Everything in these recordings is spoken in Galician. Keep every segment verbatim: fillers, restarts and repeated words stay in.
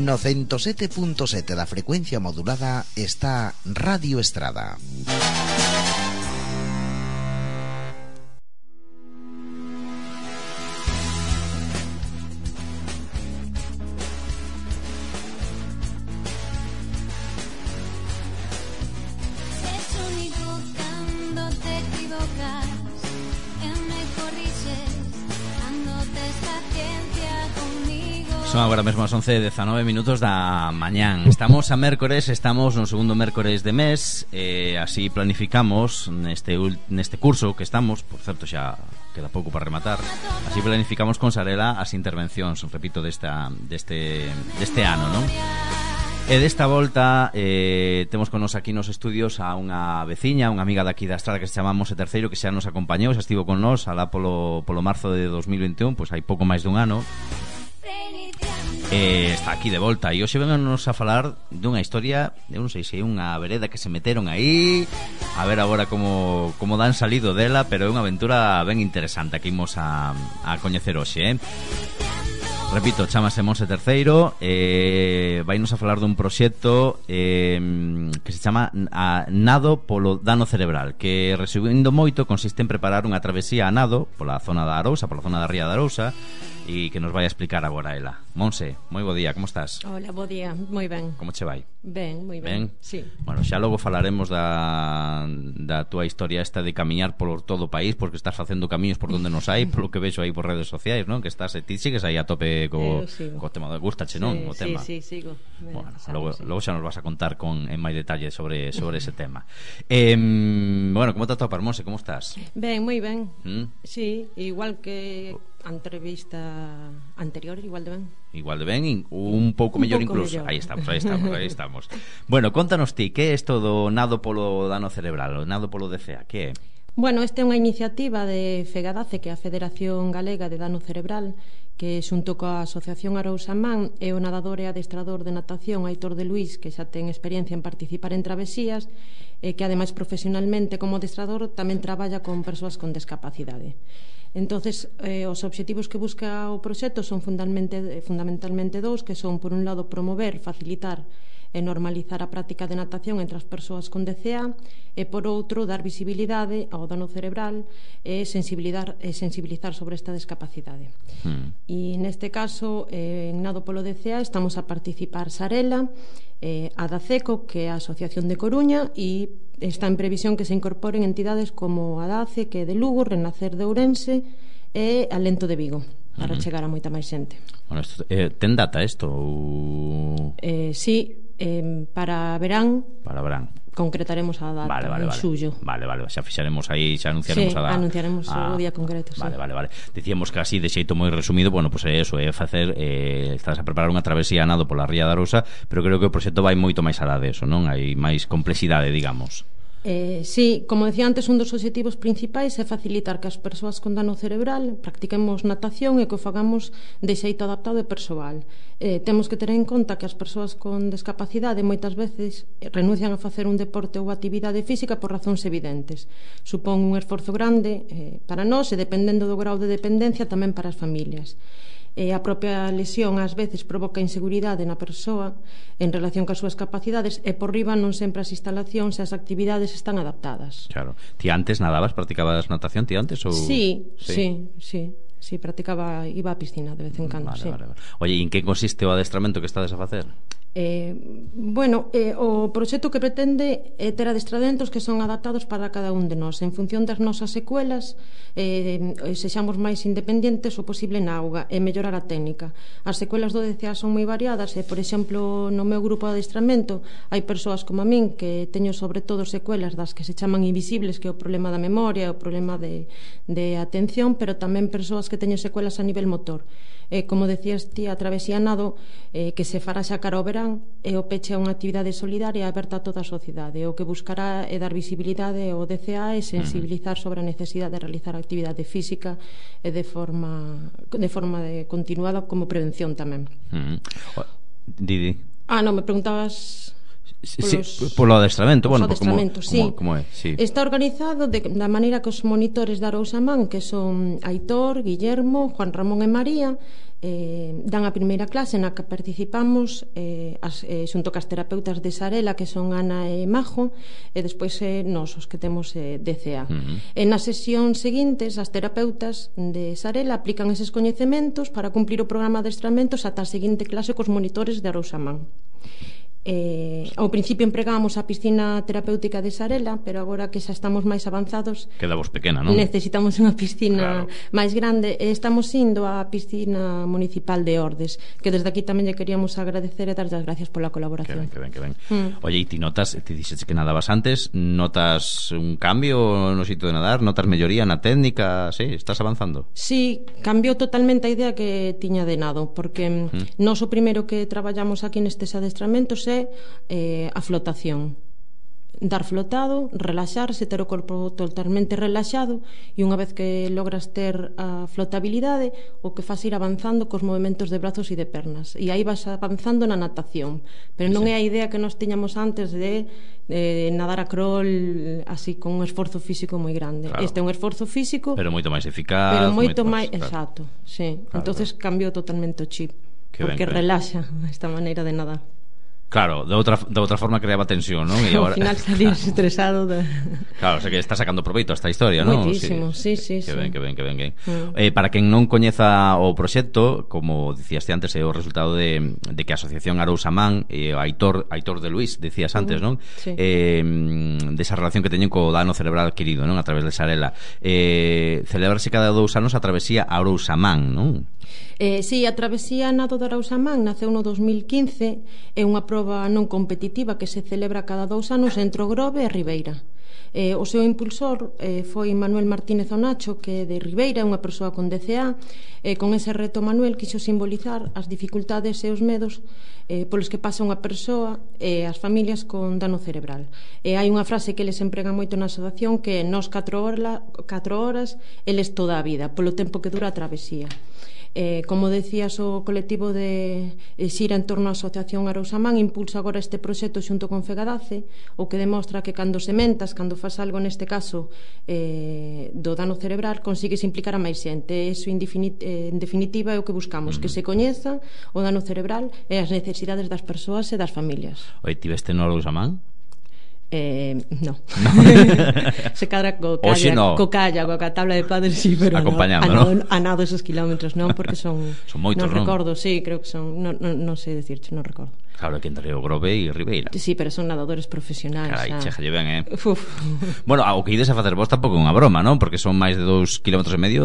No ciento sete punto sete da frecuencia modulada está Radio Estrada. Son agora mesmo as once e dezanove minutos da mañán. Estamos a mércores, estamos no segundo mércores de mes, eh, así planificamos neste, neste curso que estamos, por certo xa queda pouco para rematar, así planificamos con Sarela as intervencións, repito, desta, deste, deste ano, non? E desta volta eh, temos con nos aquí nos estudios a unha veciña, unha amiga daqui da Estrada que se chama Monse Terceiro, que xa nos acompañou, xa estivo con nos alá polo, polo marzo de dos mil veintiún, pois hai pouco máis dun ano. Eh, está aquí de volta e hoxe venganos a falar dunha historia, eu non sei se é unha vereda que se meteron aí, a ver agora como, como dan salido dela, pero é unha aventura ben interesante que imos a, a coñecer hoxe, eh? Repito, chamase Monse Terceiro, eh, vainos a falar dun proxecto eh, que se chama a Nado polo Dano Cerebral, que, resumindo moito, consiste en preparar unha travesía a nado pola zona da Arousa, pola zona da Ría da Arousa, e que nos vai a explicar agora ela. Monse, moi bo día, como estás? Hola, bo día, moi ben. Como che vai? Ben, moi ben, ben? sí. Bueno, xa logo falaremos da, da túa historia esta de camiñar por todo o país, porque estás facendo camiños por donde nos hai, polo que vexo aí por redes sociais, non? Que estás, ti sigues aí a tope co, co tema de gustache, non? Sí, o tema. sí, sí, sigo. Bueno, sabes, logo, sí. logo xa nos vas a contar con en máis detalle sobre, sobre ese tema. Eh, bueno, como te atopas, Monse, como estás? Ben, moi ben. ¿Mm? Sí, igual que a entrevista anterior, igual de ben. Igual de ben, un pouco un mellor pouco incluso. Mellor. Aí estamos, aí estamos, aí estamos. Bueno, contanos ti, que é isto do nado polo dano cerebral, o nado polo D C A, que é? Bueno, esta é unha iniciativa de FEGADACE, que é a Federación Galega de Dano Cerebral, que xunto coa Asociación Arousamán e o nadador e adestrador de natación Aitor de Luís, que xa ten experiencia en participar en travesías, e que ademais profesionalmente como adestrador tamén traballa con persoas con discapacidade. Entonces, eh, os obxectivos que busca o proxecto son fundamentalmente, fundamentalmente dous, que son, por un lado, promover, facilitar e normalizar a práctica de natación entre as persoas con D C A, e, por outro, dar visibilidade ao dano cerebral e sensibilizar, e sensibilizar sobre esta discapacidade. Mm. E, neste caso, eh, en Nado polo D C A estamos a participar Sarela, eh, a DACECO, que é a Asociación de Coruña, e está en previsión que se incorporen entidades como a DACE, que é de Lugo, Renacer de Ourense e Alento de Vigo, para uh-huh. chegar a moita máis xente. Bueno, esto, eh, ten data isto? Ou... Eh, sí, eh, para verán. Para verán. Concretaremos a data, vale, vale, en vale. xullo. Vale, vale, xa fixaremos aí, xa anunciaremos sí, a data. anunciaremos ah, o día concreto, sí. Vale, vale, vale. Dicíamos que así, de xeito moi resumido, bueno, pois pues é eso, é facer, eh, estás a preparar unha travesía a nado pola Ría da Arousa, pero creo que o proxecto vai moito máis alá de eso, non? Hai máis complexidade, digamos. Eh, sí, como decía antes, un dos obxectivos principais é facilitar que as persoas con dano cerebral practiquemos natación e que o fagamos de xeito adaptado e persoal. Eh, temos que ter en conta que as persoas con discapacidade moitas veces renuncian a facer un deporte ou actividade física por razóns evidentes. Supón un esforzo grande eh, para nós e, dependendo do grau de dependencia, tamén para as familias. E a propia lesión ás veces provoca inseguridade na persoa en relación coas súas capacidades, e por riba non sempre as instalacións e as actividades están adaptadas. Claro. Ti antes nadabas, practicabas natación ti antes? Ou... Sí, sí, sí, sí, sí, practicaba, iba á piscina de vez en cando. Vale, sí. vale, vale. Oye, e en que consiste o adestramento que estades a facer? Eh, bueno, eh, o proxecto que pretende é ter adestramentos que son adaptados para cada un de nós en función das nosas secuelas, eh, sexamos máis independentes o posible na auga e mellorar a técnica. As secuelas do D C A son moi variadas e, por exemplo, no meu grupo de adestramento hai persoas como a min que teño sobre todo secuelas das que se chaman invisibles, que é o problema da memoria, o problema de, de atención, pero tamén persoas que teñen secuelas a nivel motor. Eh, como decías ti, a travesía nado eh, que se fará xa cara ao verán e o peche a unha actividade solidaria aberta a toda a sociedade. O que buscará é dar visibilidade ao D C A e sensibilizar sobre a necesidade de realizar actividade física e de forma de forma de continuada como prevención tamén. Uh-huh. Didi. Ah, non, me preguntabas... Sí, polo adestramento, bueno, adestramento, como, sí. como, como é, sí. Está organizado de, da maneira que os monitores da Arousamán, que son Aitor, Guillermo, Juan Ramón e María, eh, dan a primeira clase na que participamos eh, as, eh, xunto cas terapeutas de Sarela, que son Ana e Majo, e despois eh, nos, os que temos eh, D C A. Uh-huh. E nas sesións seguintes, as terapeutas de Sarela aplican eses coñecementos para cumplir o programa de adestramentos ata a seguinte clase cos monitores de Arousamán. Eh, ao principio empregábamos a piscina terapéutica de Sarela, pero agora que xa estamos máis avanzados, queda vos pequena, non? Necesitamos unha piscina claro. máis grande e estamos indo á piscina municipal de Ordes, que desde aquí tamén lle queríamos agradecer e dar as gracias pola colaboración. Que ben, que ben, que ben. Mm. Oye, e ti notas, ti dixes que nadabas antes, notas un cambio no sitio de nadar, notas melloría na técnica, sí, estás avanzando? Sí, cambiou totalmente a idea que tiña de nado, porque mm. nós o primeiro que traballamos aquí nestes adestramentos é eh, a flotación, dar flotado, relaxarse, ter o corpo totalmente relaxado, e unha vez que logras ter a flotabilidade, o que faz ir avanzando cos movimentos de brazos e de pernas, e aí vas avanzando na natación, pero non sí. é a idea que nos tiñamos antes de, de nadar a crawl así con un esforzo físico moi grande. Claro. Este é un esforzo físico, pero moito máis eficaz, pero moito, moito máis, máis exacto, claro. sí. Claro, entonces claro. cambiou totalmente o chip, que porque ben, relaxa esta maneira de nadar. Claro, de outra, de outra forma creaba tensión, non? E agora... Ao final salías estresado de... Claro, o sea que está sacando proveito a esta historia, non? Moitísimo, sí, sí, sí. Que ben, que ben, que ben, que ben. Mm. Eh, para quen non coñeza o proxecto, como dicías antes, é o resultado de, de que a Asociación Arousamán e eh, Aitor, Aitor de Luís, decías antes, non? Sí. Eh, desa relación que teñen co dano cerebral adquirido, non? A través de Sarela. Eh, celebrarse cada dous anos a travesía Arousamán, non? Eh, sí, a travesía Nado de Arousamán naceu no dos mil quince, é unha proba non competitiva que se celebra cada dous anos entre o Grove e Ribeira. Eh, o seu impulsor eh, foi Manuel Martínez Onacho, que é de Ribeira, é unha persoa con D C A, e con ese reto Manuel quixo simbolizar as dificultades e os medos eh, polos que pasa unha persoa e as familias con dano cerebral. E hai unha frase que eles empregan moito na asociación, que é nós catro horas, catro horas, eles toda a vida, polo tempo que dura a travesía. Eh, como decías, o colectivo de Xira en torno á Asociación Arousamán impulsa agora este proxecto xunto con Fegadace, o que demostra que cando sementas, cando faz algo neste caso eh, do dano cerebral, consigues implicar a máis xente. Eso en definitiva é o que buscamos, que se coñeza o dano cerebral e as necesidades das persoas e das familias. Oi, tiveste no Arousamán? Eh, no, no. Se cadra co calla, no. co calla, coa tabla de padres, sí, pero acompañando, no, a, ¿no? nado, a nado esos kilómetros non, porque son son moitos, non non? recordo, sí, creo que son, non no, no sei decirche, non recordo. Claro, que entre o Grove e Ribeira. Sí, pero son nadadores profesionais. Carai, xa. chejalle ben, eh. Uf. Bueno, o que ides a facer vos tampouco é unha broma, non? Porque son máis de dous kilómetros e medio,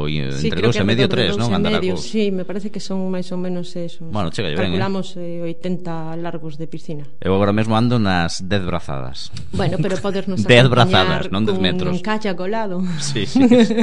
sí, entre dous e medio, tres, non? Andar a cos... Sí, me parece que son máis ou menos esos. Bueno, chegalle ben, calculamos eh, oitenta largos de piscina. Eu agora mesmo ando nas dez brazadas. Bueno, pero podernos dez brazadas, non dez metros. Un calla colado. Sí, sí, sí.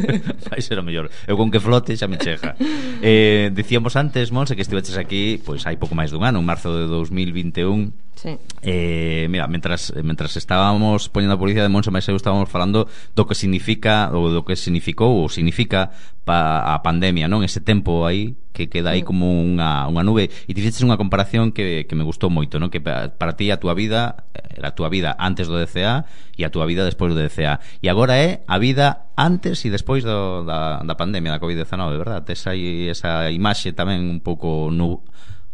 Vai ser o mellor. Eu con que flote xa me cheja. Eh, dicíamos antes, Monse, que estiveches aquí, pois hai pouco máis dun ano, en marzo de dous mil vinte e un. Sí. Eh, mira, mentras, mentras estábamos poñendo a publicidade de Monse máis eu estábamos falando do que significa ou do que significou ou significa pa, a pandemia, non? Ese tempo aí que queda aí como unha, unha nube, e te fixeches unha comparación que, que me gustou moito, non? Que para, para ti a túa vida era a túa vida antes do D C A e a túa vida despois do D C A, e agora é a vida antes e despois do, da, da pandemia da covid diecinueve, verdad? Tes aí esa imaxe tamén un pouco nu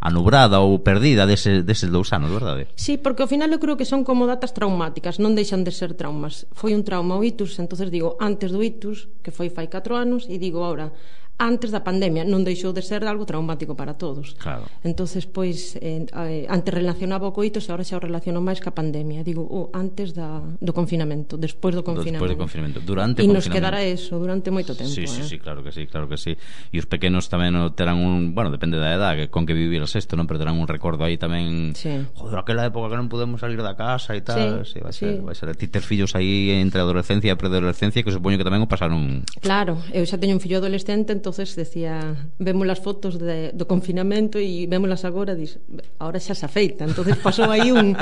anubrada ou perdida dese, deses dous anos, verdade? Sí, porque ao final eu creo que son como datas traumáticas, non deixan de ser traumas. Foi un trauma o itus, entonces digo antes do itus, que foi fai catro anos, e digo ahora antes da pandemia, non deixou de ser algo traumático para todos. Claro. Entonces, pois, eh, antes relacionaba o coitos e agora xa o relaciono máis ca pandemia. Digo, oh, antes da, do confinamento, despois do confinamento. Despois do confinamento, durante o confinamento. E nos quedará eso durante moito tempo. Sí, sí, eh? sí, claro que sí, claro que sí. E os pequenos tamén terán un, bueno, depende da edad que con que viviras isto, non, pero terán un recordo aí tamén. Sí. Joder, aquela época que non podemos salir da casa e tal, sí, sí, vai ser, sí. vai ser. Ti ter fillos aí entre a adolescencia e a preadolescencia, que supoño que tamén o pasaron. Claro, eu xa teño un fillo adolescente, entonces decía, vemos as fotos de, do confinamento e vémolas agora, dis, ahora xa se afeita, entonces pasou aí un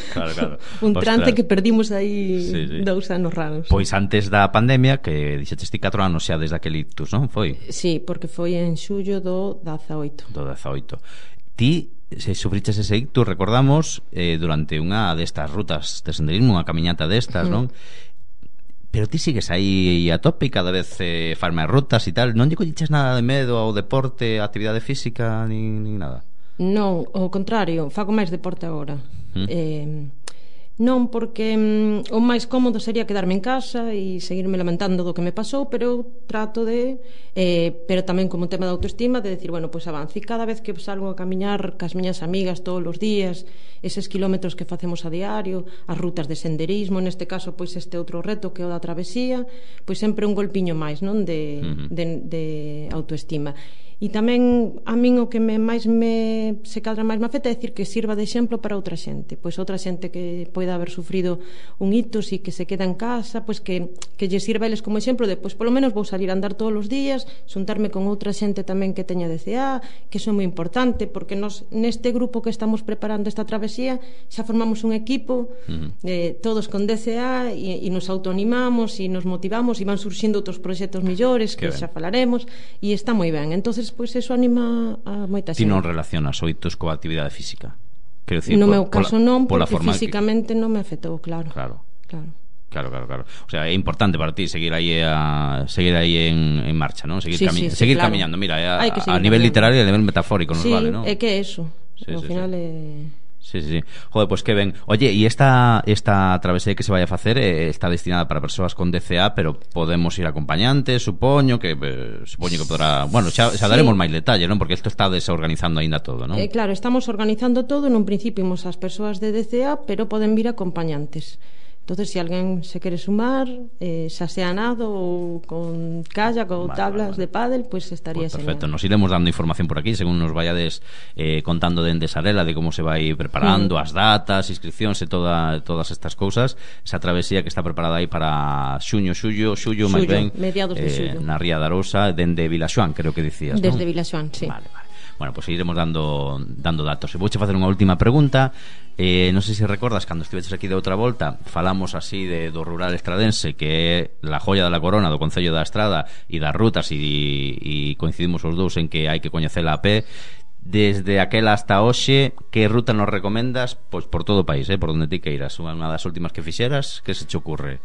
claro, claro. un trante Ostras. que perdimos aí sí, sí. dous anos raros. Pois antes da pandemia, que dixetes ti catro anos xa desde aquel ictus, non? Foi? Sí, porque foi en xullo do dezaoito. Do dezaoito. Ti se sufriches ese ictus, recordamos, eh, durante unha destas rutas de senderismo, unha camiñata destas, mm. non? Pero ti sigues aí a tope e cada vez eh, faz máis rutas e tal. Non lle colliches nada de medo ao deporte, a actividade física, nin, nin nada? Non, ao contrario, fago máis deporte agora. Mm. Eh, non, porque mm, o máis cómodo sería quedarme en casa e seguirme lamentando do que me pasou, pero eu trato de eh, pero tamén como tema de autoestima, de decir, bueno, pois pues avance, e cada vez que salgo a camiñar cas miñas amigas todos os días, eses kilómetros que facemos a diario, as rutas de senderismo, neste caso pois este outro reto que é o da travesía, pois sempre un golpiño máis, non, de, uh-huh. de, de autoestima. E tamén a min o que me máis me se cadra máis me afecta é dicir que sirva de exemplo para outra xente, pois outra xente que poida haber sufrido un hitos e que se queda en casa, pois que que lle sirva a eles como exemplo de, pois polo menos vou salir a andar todos os días, xuntarme con outra xente tamén que teña D C A, que iso é moi importante, porque nos neste grupo que estamos preparando esta travesía xa formamos un equipo, uh-huh. eh, todos con D C A e, e nos autoanimamos e nos motivamos e van surxindo outros proxectos millores que, que xa falaremos e está moi ben. Entonces pois eso anima a moita xente. Ti non relacionas oitos coa actividade física? Quero dicir, no por, meu caso pola, non, porque forma físicamente que... non me afectou, claro. Claro. Claro. Claro, claro, claro. O sea, é importante para ti seguir aí a seguir aí en, en marcha, ¿no? Seguir sí, cami- sí, sí, seguir claro. camiñando, mira, a, a nivel caminando. literario e a nivel metafórico nos sí, vale, ¿no? Sí, é que é eso. Sí, Ao sí, final sí. é Sí, sí, sí. Joder, pues que ben. Oye, e esta esta travesía que se vai a facer eh, está destinada para persoas con D C A, pero podemos ir acompañantes, supoño que eh, supoño que podrá, bueno, xa, xa daremos sí. máis detalles, non? Porque isto está desorganizando aínda todo, non? Eh, claro, estamos organizando todo, en un principio imos as persoas de D C A, pero poden vir acompañantes. Entonces, si alguén se quere sumar, eh, xa sea nado ou con kayak ou vale, tablas vale, vale. de pádel, pois pues estaría pues perfecto, señal. Nos iremos dando información por aquí según nos vayades eh, contando dende Sarela de como se vai preparando, mm. as datas, inscripcións e toda, todas estas cousas. Esa travesía que está preparada aí para xuño, xullo, xullo, máis ben, mediados de xullo. Eh, na Ría de Arousa, dende Vilaxoán, creo que dicías, non? Desde Vilaxoán, sí. Vale, vale. Bueno, pues iremos dando dando datos. E vouche facer unha última pregunta. Eh, non sei se recordas cando estiveches aquí de outra volta, falamos así de do rural estradense, que é la joya da corona do Concello da Estrada e das rutas, e, e coincidimos os dous en que hai que coñecela a pé. Desde aquela hasta hoxe, que ruta nos recomendas? Pois por todo o país, eh, por onde ti queiras. Unha das últimas que fixeras, que se che ocurre?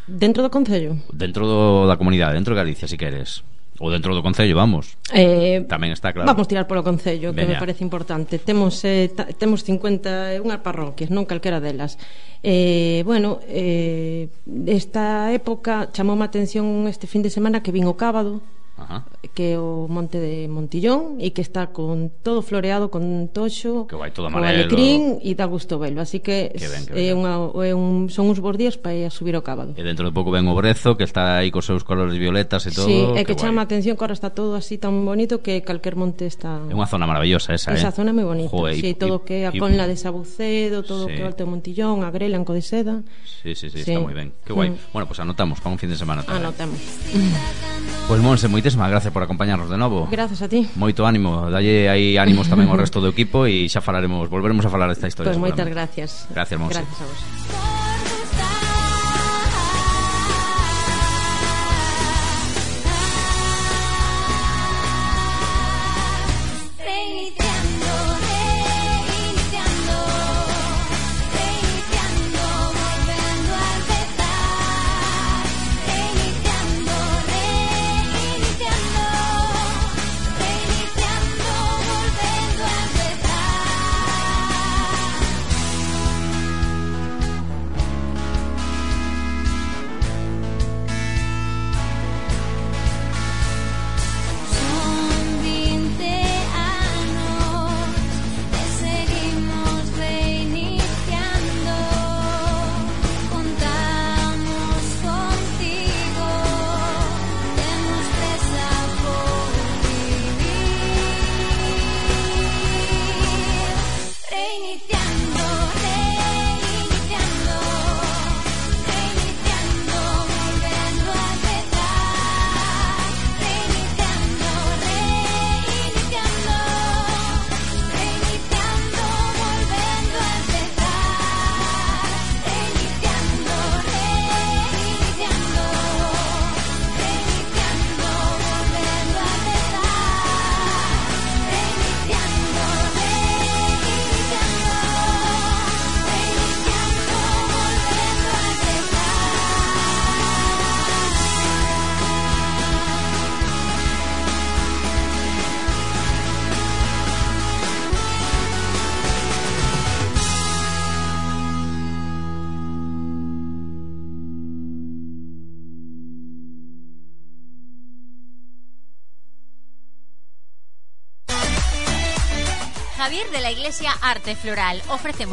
Dentro do Concello? Dentro do, da comunidade, dentro de Galicia, si queres. Ou dentro do Concello, vamos. Eh, Tamén está claro. Vamos tirar polo Concello, que Veña. me parece importante. Temos eh, ta, temos cincuenta e unha parroquias, non calquera delas. Eh, bueno, eh, esta época chamou a atención este fin de semana que vin o Cábado. Ajá. Que é o monte de Montillón e que está con todo floreado con toxo, que vai todo amarelo, alecrín e dá gusto velo, así que, que, ben, que é unha, é un, son uns bons días para ir a subir o Cábado. E dentro de pouco ven o Brezo, que está aí cos seus colores violetas e todo. Sí, é que, que chama a atención que ahora está todo así tan bonito que calquer monte está... É unha zona maravillosa esa, esa eh? zona é moi bonita. Joder, sí, y, todo y, que a y, Conla de Sabucedo, todo sí. que o Alto de Montillón, a Grela en Codeseda. Sí, sí, sí, sí, está moi ben. Que guai. Mm. Bueno, pues anotamos para un fin de semana tamén. Anotamos. Pues Monse, moitísimas gracias por acompañarnos de novo. Gracias a ti. Moito ánimo, dalle aí ánimos tamén ao resto do equipo e xa falaremos, volveremos a falar desta historia. Pues moitas gracias. Gracias, Monse. Gracias a vos. Javier de la Iglesia Arte Floral. Ofrecemos